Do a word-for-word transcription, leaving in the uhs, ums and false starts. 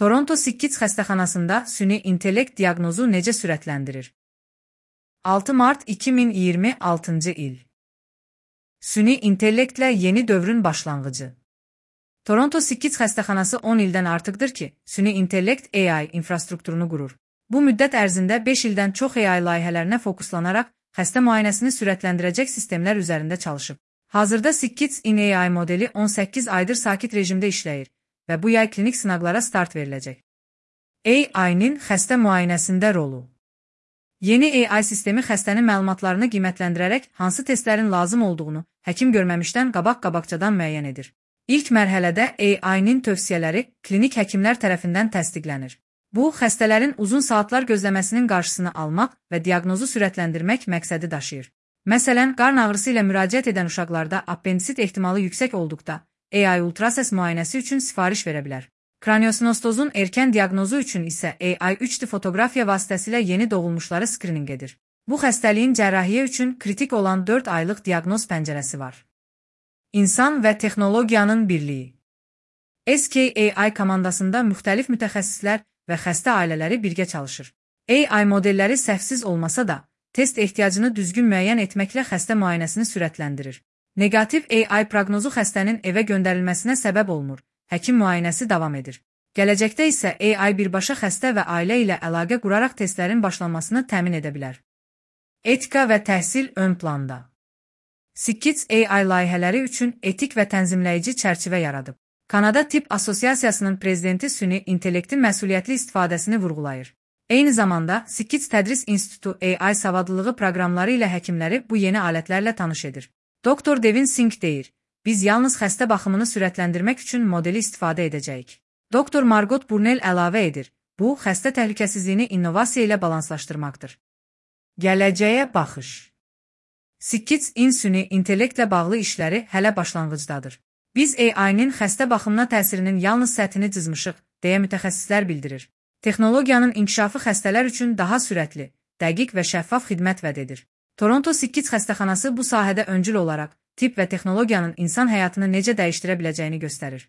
Toronto Sickkids xəstəxanasında süni intellekt diaqnozu necə sürətləndirir? altı mart iki min iyirmi altıncı il. Süni intellektlə yeni dövrün başlanğıcı. Toronto Sickkids xəstəxanası on ildən artıqdır ki, süni intellekt A I infrastrukturunu qurur. Bu müddət ərzində beş ildən çox A I layihələrinə fokuslanaraq xəstə müayinəsini sürətləndirəcək sistemlər üzərində çalışıb. Hazırda Sickkids in A I modeli on səkkiz aydır sakit rejimdə işləyir və bu yay klinik sınaqlara start veriləcək. A I-nin xəstə müayinəsində rolu. Yeni A I sistemi xəstənin məlumatlarını qiymətləndirərək hansı testlərin lazım olduğunu həkim görməmişdən qabaq-qabaqcadan müəyyən edir. İlk mərhələdə A I-nin tövsiyələri klinik həkimlər tərəfindən təsdiqlənir. Bu, xəstələrin uzun saatlar gözləməsinin qarşısını almaq və diaqnozu sürətləndirmək məqsədi daşıyır. Məsələn, qarın ağrısı ilə müraciət edən uşaqlarda appendisit ehtimalı yüksək olduqda A I ultrasəs müayinəsi üçün sifariş verə bilər. Kraniosinostozun erkən diaqnozu üçün isə A I üç D fotoqrafiya vasitəsilə yeni doğulmuşları skrininq edir. Bu xəstəliyin cərrahiyyə üçün kritik olan dörd aylıq diaqnoz pəncərəsi var. İnsan və texnologiyanın birliyi. S K A I komandasında müxtəlif mütəxəssislər və xəstə ailələri birgə çalışır. A I modelləri səhvsiz olmasa da, test ehtiyacını düzgün müəyyən etməklə xəstə müayinəsini sürətləndirir. Negativ A I proqnozu xəstənin evə göndərilməsinə səbəb olmur, həkim müayinəsi davam edir. Gələcəkdə isə A I birbaşa xəstə və ailə ilə əlaqə quraraq testlərin başlanmasını təmin edə bilər. Etika və təhsil ön planda. Sickkids A I layihələri üçün etik və tənzimləyici çərçivə yaradıb. Kanada Tibb Assosiasiyasının prezidenti süni intellektin məsuliyyətli istifadəsini vurğulayır. Eyni zamanda, Sickkids Tədris İnstitutu A I savadlılığı proqramları ilə həkimləri bu yeni alətlərlə tanış edir. Doktor Devin Singh deyir, biz yalnız xəstə baxımını sürətləndirmək üçün modeli istifadə edəcəyik. Doktor Margot Burnell əlavə edir, bu, xəstə təhlükəsizliyini innovasiya ilə balanslaşdırmaqdır. Gələcəyə baxış. Sickkids in süni intellektlə bağlı işləri hələ başlanğıcdadır. Biz A I-nin xəstə baxımına təsirinin yalnız səthini cızmışıq, deyə mütəxəssislər bildirir. Texnologiyanın inkişafı xəstələr üçün daha sürətli, dəqiq və şəffaf xidmət vəd edir. Toronto Sickkids xəstəxanası bu sahədə öncül olaraq tibb və texnologiyanın insan həyatını necə dəyişdirə biləcəyini göstərir.